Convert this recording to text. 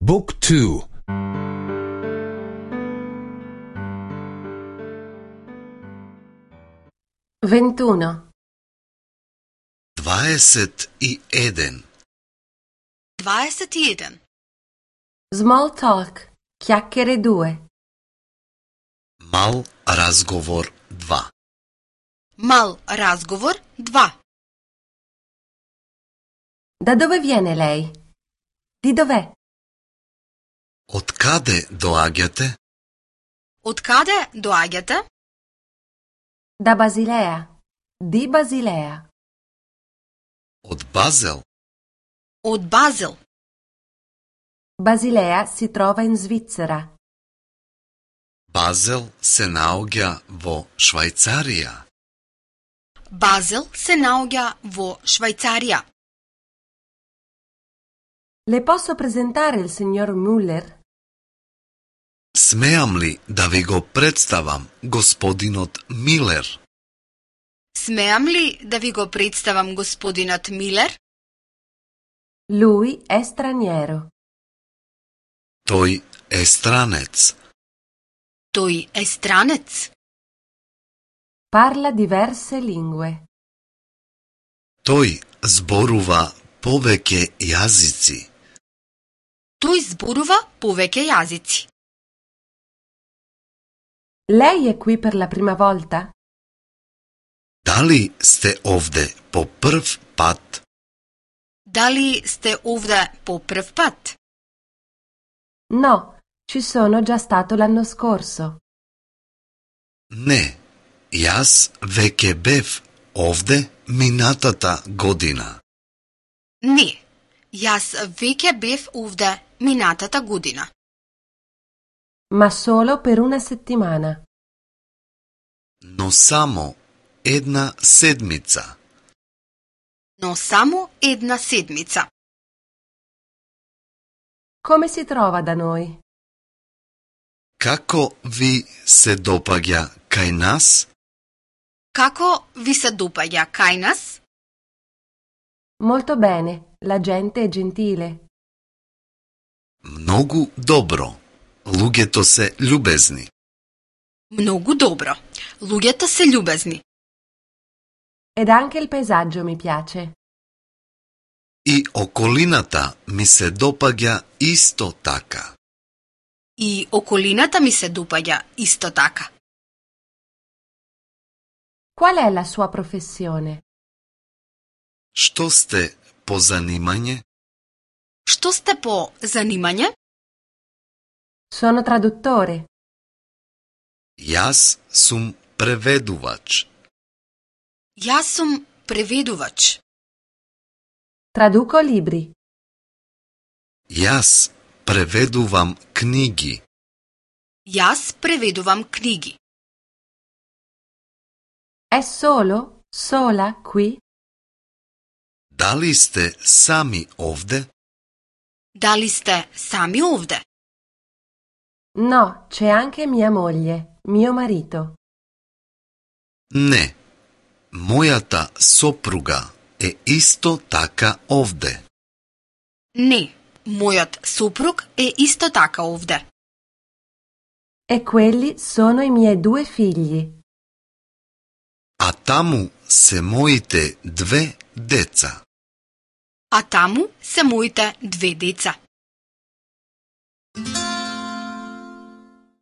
Book 2. 21. 21. 21. Small talk, chiacchiere 2. Мал разговор 2. Мал разговор 2. Da dove viene lei? Di dov'è? Од каде доаѓате? Од каде доаѓате? Da Basilea. Di Basilea. Од Базел. Од Базел. Basilea si trova in Svizzera. Базел се наоѓа во Швајцарија. Базел се наоѓа во Швајцарија. Le posso presentare il signor Müller? Смеам ли да ви го представам господинот Милер? Смеам ли да ви го представам господинот Милер? Lui è straniero. Тој е странец. Тој е странец. Parla diverse lingue. Тој зборува повеќе јазици. Тој зборува повеќе јазици. Lei è qui per la prima volta? Дали сте овде по прв пат? Дали сте овде по прв пат? No, ci sono già stato l'anno scorso. Не, јас веќе бев овде минатата година. Не, јас веќе бев овде минатата година. Ma solo per una settimana. Но само една седмица. Но само една седмица. Come si trova da noi? Како ви се допаѓа кај нас? Како ви се допаѓа кај нас? Molto bene, la gente è gentile. Многу добро. Луѓето се љубезни. Многу добро. Луѓето се љубезни. Ed anche il paesaggio mi piace. И околината ми се допаѓа исто така. И околината ми се допаѓа исто така. Qual è la sua professione? Што сте по занимање? Што сте по занимање? Sono traduttore. Јас сум преведувач. Јас сум преведувач. Traduco libri. Јас преведувам книги. Јас преведувам книги. È sola qui? Дали сте сами овде? Дали сте сами овде? No, c'è anche mia moglie, mio marito. Не. Мојата сопруга е исто така овде. Не, мојот сопруг е исто така овде. E quelli sono i miei 2 figli. А таму се моите 2 деца. А таму се моите 2 деца.